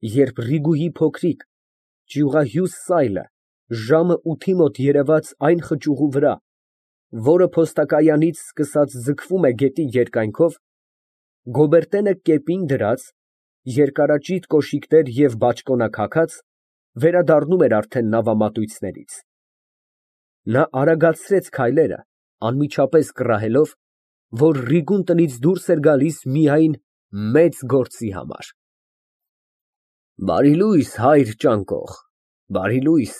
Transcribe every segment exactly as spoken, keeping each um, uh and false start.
Երբ Ռիգուի փոքրիկ, ճյուղահյուս սայլը ժամը ութի մոտ երևաց այն խճուղու վրա, որը փոստակայանից սկսած ձգվում է գետի երկայնքով, Գոբերտենը կեպին դրած, երկարաճիտ կոշիկներ և բաճկոնակ հագած, վերադառնում էր արդեն նավամատույցներից։ Նա արագացրեց քայլերը, անմիջապես կռահելով, որ Ռիգուն տնից դուրս էր գալիս միայն մեծ գործի համար։ Բարի լույս, հայր ճանկող, բարի լույս,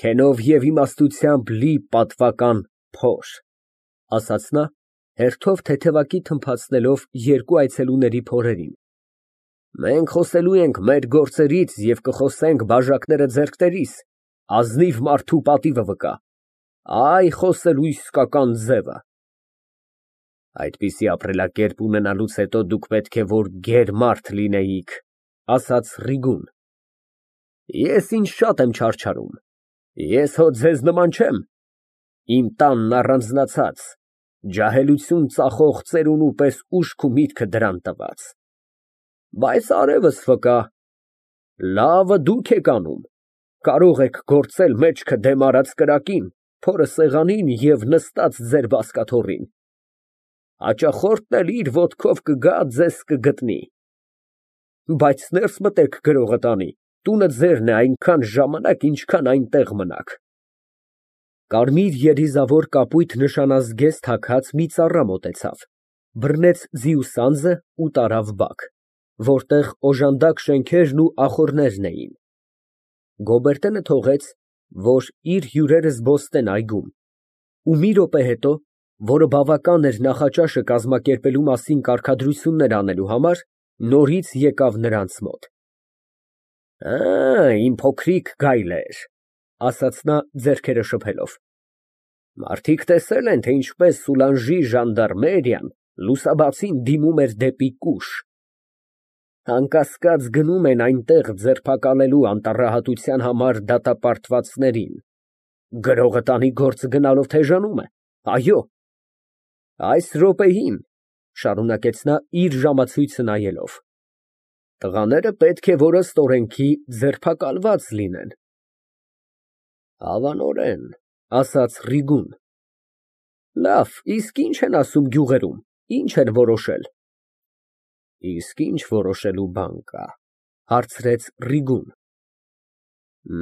քենով և իմաստությամբ լի պատվական փոր, ֊ ասաց նա, հերթով թեթևակի թմփացնելով երկու այցելուների փորերին։ Մենք խոսելու ենք մեր գործերից և կխոսենք բաժակները ձեռքներիս, ազնիվ մարդու պատիվը վկա, այ խոսելու իսկական ձևը։ Այդպիսի ապրելակերպ ունենալուց հետո դուք պետք է որ գեր մարդ լինեիք, ֊ ասաց Ռիգուն։ Ես ինձ շատ եմ չարչարում, ես հո ձեզ նման չեմ, իմ տանն առանձնացած, ջահելություն ծախող ծերունու պես ուշք ու միտքը դրան տված։ Բայց արևս վկա, լավը դուք եք անում, կարող եք գործել մեջքը դեմ արած կրակին, փորը սեղանին և նստած ձեր բազկաթոռին, հաճախորդն էլ իր ոտքով կգա, ձեզ կգտնի։ Բայց ներս մտեք գրողը տանի, տունը ձերն է այնքան ժամանակ, ինչքան այնտեղ մնաք։ Կարմիր երիզավոր կապույտ նշանազգեստ հագած մի ծառա մոտեցավ, բռնեց ձիու սանձը ու տարավ բակ, որտեղ օժանդակ շենքերն ու ախոռներն էին։ Գոբերտենը թողեց, որ իր հյուրերը զբոսնեն այգում, ու մի րոպե հետո, որը բավական էր նախաճաշը կազմակերպելու մասին կարգադրություններ անելու համար, նորից եկավ նրանց մոտ։ Ա, իմ փոքրիկ գայլեր, ֊ ասաց նա ձեռքերը շփելով, մարդիկ տեսել են, թե ինչպես Սուլանժի ժանդարմերիան լուսաբացին դիմում էր դեպի Կուշ, անկասկած գնում են այնտեղ ձերբակալելու անտառահատության համար դատապարտվածներին, գրողը տանի գործը գնալով թեժանում է, այո։ Այս րոպեին, ֊ շարունակեց նա իր ժամացույցը նայելով, տղաները պետք է որ ըստ օրենքի ձերբակալված լինեն։ Հավանորեն, ֊ ասաց Ռիգուն։ Լավ, իսկ ի՞նչ են ասում գյուղերում, ի՞նչ են որոշել։ Իսկ ինչ որոշելու բան կա, ֊ հարցրեց Ռիգուն։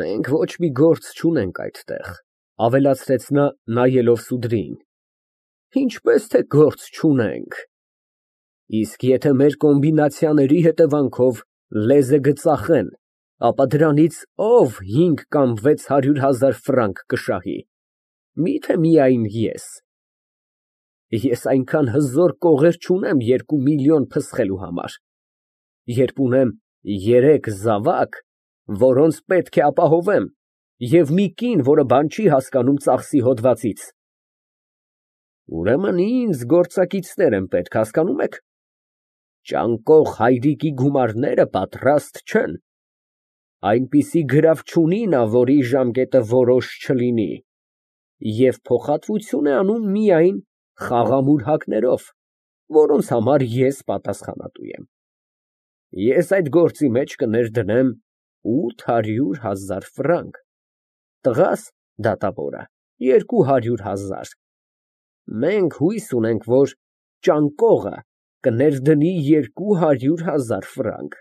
Մենք ոչ մի գործ չունենք այդտեղ, ֊ ավելացրեց նա, նայելով Սուդրիին։ Ինչպես թե գործ չունենք։ Իսկ եթե մեր կոմբինացիաների հետևանքով լեզը կծախեն, ապա դրանից ով հինգ կամ վեց հարյուր հազար ֆրանկ կշահի, մի՞թե միայն ես։ Ես այնքան հզոր կողեր չունեմ երկու միլիոն փսխելու համար, երբ ունեմ երեք զավակ, որոնց պետք է ապահովեմ, և մի կին, որը բան չի հասկանում ծախսի հոդվածից։ Ուրեմն ինձ գործակիցներ են պետք, հասկանում եք։ Ճանկող հայրիկի գումարները պատրաստ չեն։ Այնպիսի գրավ չունի նա, որի ժամկետը որոշ չլինի, և փոխհատվություն է անում միայն խաղամուրհակներով, որոնց համար ես պատասխանատու եմ։ Ես այդ գործի մեջ կներդնեմ ութ հարյուր հազար ֆրանկ, տղաս, դատավորը, երկու հարյուր հազար։ Մենք հույս ունենք, որ ճանկողը կներդնի երկու հարյուր հազար ֆրանկ,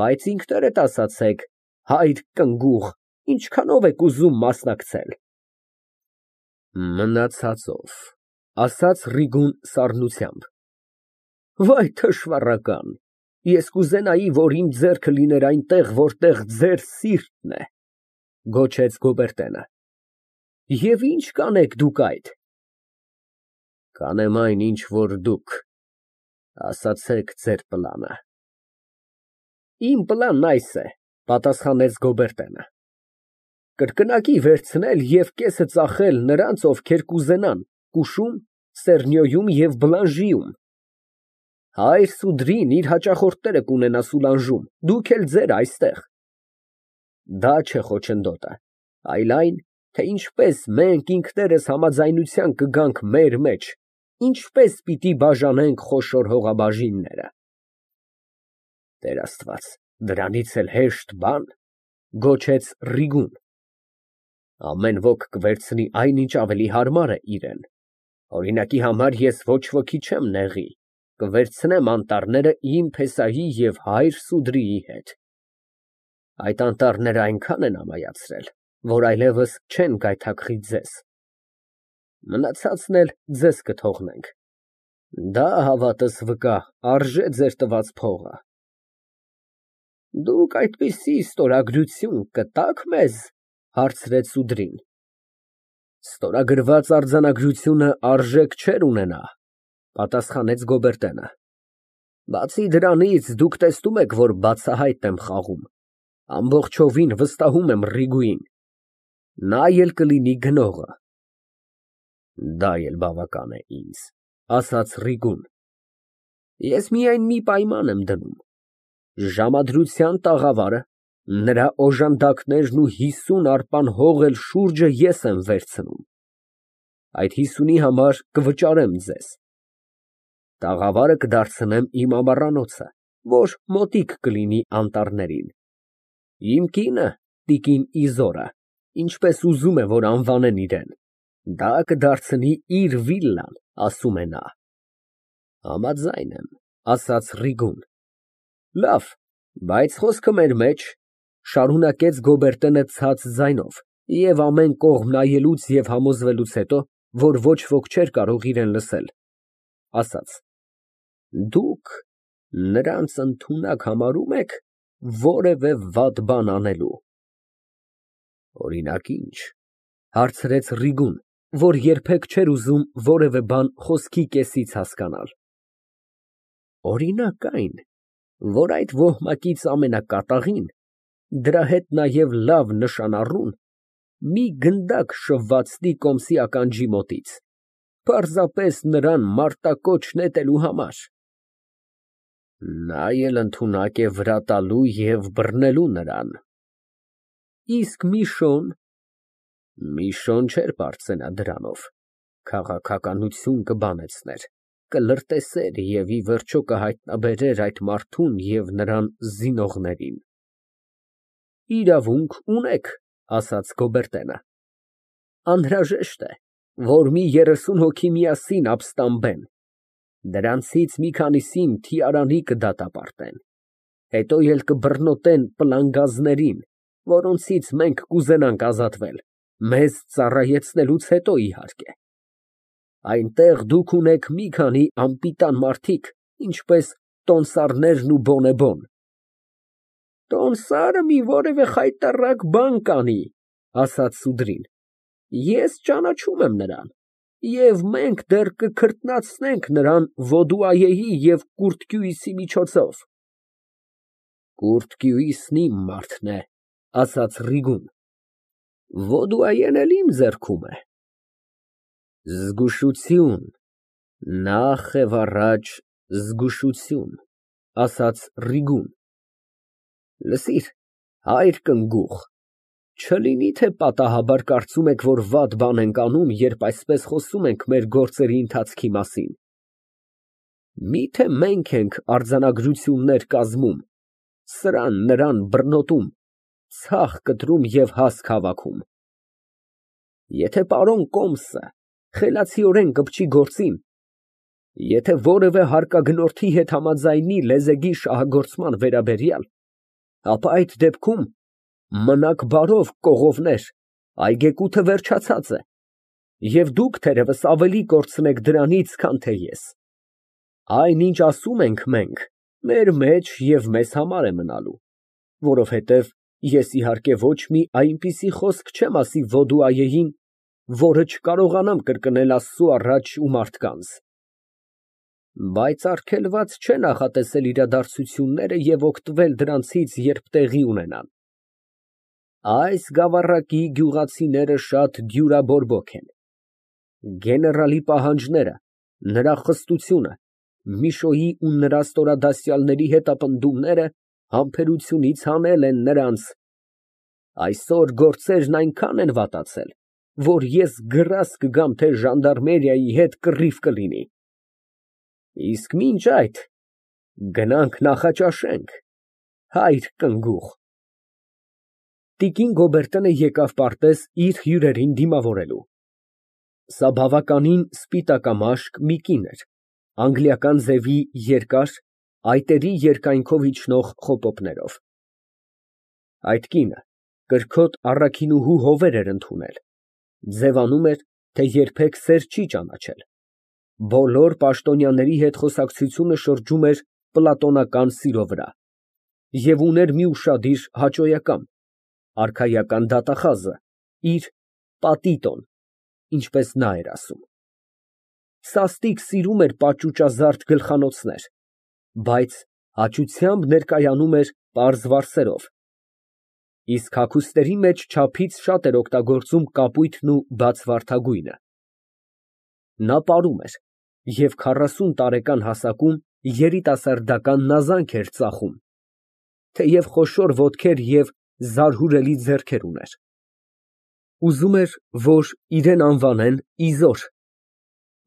բայց ինքներդ ասացեք, հայր կնգուղ, ինչքանով եք ուզում մասնակցել։ Մնացածով, ֊ ասաց Ռիգուն սառնությամբ։ Վայ թշվառական, ես կուզենայի, որ իմ ձեռքը լիներ այնտեղ, որտեղ ձեր սիրտն է, ֊ գոչեց Գոբերտենը։ Եվ ի՞նչ կանեք դուք այդ։ Կանեմ այն, ինչ որ դուք, ասացեք ձեր պլանը։ Իմ պլանն այս է, ֊ պատասխանեց Գոբերտենը, կրկնակի վերցնել և կեսը ծախել նրանց, ովքեր կուզենան Կուշում, Սեռնյոյում և Բլանժիում։ Հայր Սուդրին իր հաճախորդները կունենա Սուլանժում, դուք էլ ձերը այստեղ։ Դա չէ խոչընդոտը, այլ այն, թե ինչպես մենք ինքներս համաձայնության կգանք մեր մեջ, ինչպես պիտի բաժանենք խոշոր հողաբաժինները։ Տեր Աստված, Դրանից էլ հեշտ բան, գոչեց Ռիգուն։ Ամեն ոք կվերցնի այնինչ ավելի հարմար է իրեն։ Օրինակի համար ես ոչ ոքի չեմ նեղի, կվերցնեմ անտառները իմ փեսայի և հայր Սուդրիի հետ։ Այդ անտառները այնքան են ամայացրել, որ այլևս չեն գայթակղի ձեզ, մնացածն էլ ձեզ կթողնենք։ Դա, հավատս վկա, արժե ձեր տված փողը։ Դուք այդպիսի ստորագրություն կտա՞ք մեզ, հարցրեց Սուդրին։ Ստորագրված արձանագրությունը արժեք չէր ունենա, պատասխանեց Գոբերտենը։ Բացի դրանից, դուք տեսնում եք, որ բացահայտ եմ խաղում, ամբողջովին վստահում եմ Ռիգուին, նա էլ կլինի գնողը։ Դա էլ բավական է ինձ, ասաց Ռիգուն։ Ես միայն մի պայման եմ դնում, ժամադրության տաղավարը, նրա օժանդակներն ու հիսուն արպան հող էլ շուրջը ես եմ վերցնում, այդ հիսունի համար կվճարեմ ձեզ, տաղավարը կդարձնեմ իմ ամառանոցը, որ մոտիկ կլինի անտառներին, իմ կինը, տիկին Իզորը, ինչպես ուզում է, որ անվանեն իրեն, դա կդարձնի իր վիլլան, ասում է նա։ Համաձայն եմ, ասաց Ռիգուն։ Լավ, բայց խոսքը մեր մեջ, շարունակեց Գոբերտենը ցած ձայնով և ամեն կողմ նայելուց և համոզվելուց հետո, որ ոչ ոք չէր կարող իրեն լսել, ասաց. Դուք նրանց ընդունակ համարում եք որևէ վատ բան անելու։ Օրինակ ինչ, հարցրեց Ռիգուն, որ երբեք չէր ուզում որևէ բան խոսքի կեսից հասկանալ։ Օրինակ այն, որ այդ ոհմակից ամենակատաղին, դրա հետ նաև լավ նշան առուն, մի գնդակ շվվացնի Կոմսի ականջի մոտից, պարզապես նրան մարտակոչ նետելու համար։ Նա էլ ընդունակ է վրա տալու և բռնելու նրան։ Իսկ Միշոն։ Միշոն չէր պարծենա դրանով, քաղաքականություն կբանեցներ, կլրտեսեր և ի վերջո կհայտնաբերեր այդ մարդուն և նրան զինողներին։ Իրավունք ունեք, ասաց Գոբերտենը։ Անհրաժեշտ է, որ մի երեսուն հոգի միասին ապստամբեն, դրանցից մի քանիսին թիարանի կդատապարտեն, հետո էլ կբռնոտեն պլանգազներին, որոնցից մենք կուզենանք ազատվել, մեզ ծառայեցնելուց հետո, իհարկե։ Այնտեղ դուք ունեք մի քանի անպիտան մարդիկ, ինչպես տոմսարներն ու բոնեբոն։ Տոմսարը մի որևէ խայտառակ բան կանի, ասաց Սուդրին, ես ճանաչում եմ նրան, և մենք դեռ կքրտնացնենք նրան Ոդուայեի և Կուրթկյուիսի միջոցով։ Կուրթկյուիսն իմ մարդն է, ասաց Ռիգուն, Ոդուայեն էլ իմ ձեռքում է։ Զգուշություն, նախ և առաջ զգուշություն, ասաց Ռիգուն։ Լսիր, հայր կնգուղ, չլինի թե պատահաբար կարծում եք, որ վատ բան ենք անում, երբ այսպես խոսում ենք մեր գործերի ընթացքի մասին։ Միթե մենք ենք արձանագրություններ կազմում, սրան նրան բռնոտում, ցախ կտրում և հասկ հավաքում։ Եթե պարոն Կոմսը խելացիորեն կպչի գործին, եթե որևէ հարկագնորդի հետ համաձայնի լեզեգի շահագործման վերաբերյալ, ապա այդ դեպքում մնաք բարով, կողովներ, այգեկութը վերջացած է, և դուք թերևս ավելի կորցնեք դրանից, քան թե ես։ Այն, ինչ ասում ենք մենք, մեր մեջ և մեզ համար է մնալու, որովհետև ես իհարկե ոչ մի այնպիսի խոսք չեմ ասի Ոդուայեին, որը չկարողանամ կրկնել Աստծու առաջ ու մարդկանց։ Բայց արգելված չէ նախատեսել իրադարձությունները և օգտվել դրանցից, երբ տեղի ունենան։ Այս գավառակի գյուղացիները շատ դյուրաբորբոք են։ Գեներալի պահանջները, նրա խստությունը, Միշոյի ու նրա ստորադասյալների հետապնդումները համբերությունից հանել են նրանց։ Այսօր գործերն այնքան են վատացել, որ ես գրազ կգամ, թե ժանդարմերիայի հետ կռիվ կլինի։ Իսկ մինչ այդ գնանք նախաճաշենք, Հայր կնգուղ։ Տիկին Գոբերտենը եկավ պարտեզ իր հյուրերին դիմավորելու։ Սա բավականին սպիտակամաշկ մի կին էր, անգլիական ձևի երկար, այտերի երկայնքով իջնող խոպոպներով։ Այդ կինը կրքոտ առաքինուհու հովեր էր ընդունել, ձևանում էր, թե երբեք սեր չի ճանաչել, բոլոր պաշտոնյաների հետ խոսակցությունը շրջում էր պլատոնական սիրո վրա և ուներ մի ուշադիր հաճոյական, արքայական դատախազը, իր պատիտոն, ինչպես նա էր ասում։ Սաստիկ սիրում էր պաճուճազարդ գլխանոցներ, բայց հաճությամբ ներկայանում էր պարզ վարսերով, իսկ հագուստների մեջ չափից շատ էր օգտագործում կապույտն ու բացվարդագույնը։ Նա պարում էր և քառասուն տարեկան հասակում երիտասարդական նազանք էր ծախում, թեև խոշոր ոտքեր և զարհուրելի ձեռքեր ուներ։ Ուզում էր, որ իրեն անվանեն Իզոր,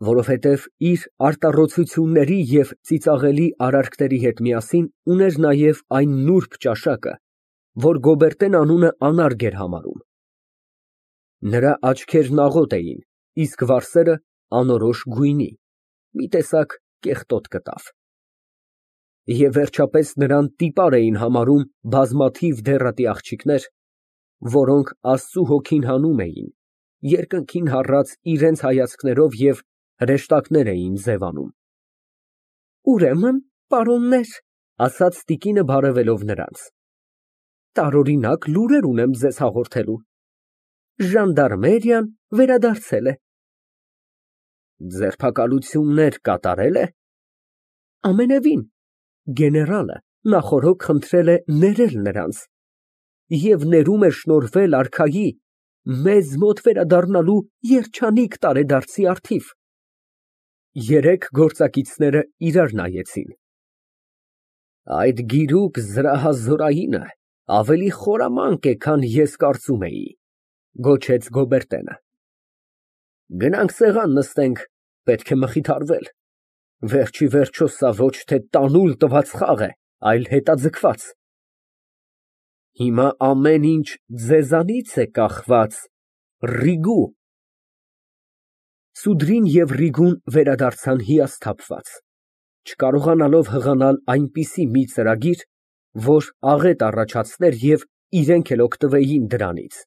որովհետև իր արտառոցությունների և ծիծաղելի արարքների հետ միասին ուներ նաև այն նուրբ ճաշակը, որ Գոբերտեն անունը անարգ էր համարում։ Նրա աչքերն աղոտ էին, իսկ վարսերը անորոշ գույնի, մի տեսակ կեղտոտ կտավ։ Եվ վերջապես նրան տիպար էին համարում բազմաթիվ դեռատի աղջիկներ, որոնք Աստծու հոգին հանում էին, երկնքին հառած իրենց հայացքներով և հրեշտակներ էին ձևանում։ Ուրեմն, պարոննե՛ր, ասաց տիկինը բարևելով նրանց, տարօրինակ լուրեր ունեմ ձեզ հաղորդելու. ժանդարմերիան վերադարձել է։ Ձերբակալություններ կատարե՞լ է։ Ամենևին, գեներալը նախօրոք խնդրել է ներել նրանց և ներում է շնորհվել արքայի մեզ մոտ վերադառնալու երջանիկ տարեդարձի առթիվ։ Երեք գործակիցները իրար նայեցին։ Այդ գիրուկ զրահազորայինը ավելի խորամանկ է, քան ես կարծում էի, գոչեց Գոբերտենը։ Գնանք սեղան նստենք, պետք է մխիթարվել, վերջիվերջո սա ոչ թե տանուլ տված խաղ է, այլ հետաձգված։ Հիմա ամեն ինչ ձեզանից է կախված, Ռիգու։ Սուդրին և Ռիգուն վերադարձան հիասթափված, չկարողանալով հղանալ այնպիսի մի ծրագիր, որ աղետ առաջացներ և իրենք էլ օգտվեին դրանից,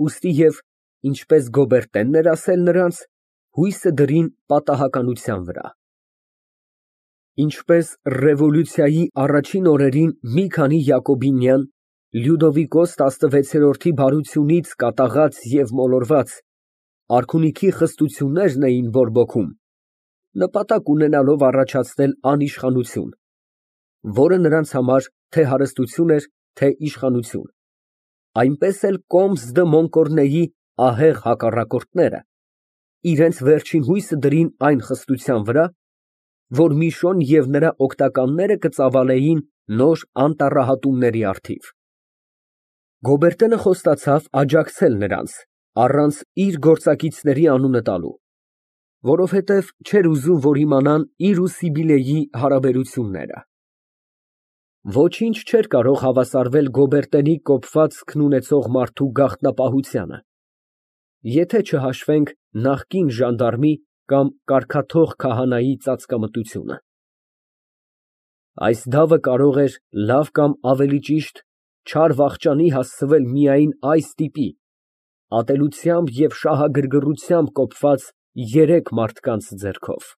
ուստի և, ինչպես Գոբերտենն էր ասել նրանց, հույսը դրին պատահականության վրա։ Ինչպես ռևոլյուցիայի առաջին օրերին մի քանի յակոբինյան, Լյուդովիկոս տասնվեցերորդի բարությունից կատաղած և մոլորված, արքունիքի խստություններն էին բորբոքում, նպատակ ունենալով առաջացնել անիշխանություն, որը նրանց համար թե հարստություն էր, թե իշխանություն, այնպես էլ Կոմս դը Մոնկորնեի ահեղ հակառակորդները իրենց վերջին հույսը դրին այն խստության վրա, որ Միշոն և նրա օգնականները կծավալեին նոր անտառահատումների առթիվ։ Գոբերտենը խոստացավ աջակցել նրանց, առանց իր գործակիցների անունը տալու, որովհետև չէր ուզում, որ իմանան իր ու Սիբիլեի հարաբերությունները։ Ոչինչ չէր կարող հավասարվել Գոբերտենի կոպվածքն ունեցող մարդու գաղտնապահությանը, եթե չհաշվենք նախկին ժանդարմի կամ կարգաթող քահանայի ծածկամտությունը։ Այս դավը կարող էր լավ կամ ավելի ճիշտ չար վախճանի հասցվել միայն այս տիպի, ատելությամբ և շահագրգռությամբ կոպված երեք մարդկանց ձեռքով։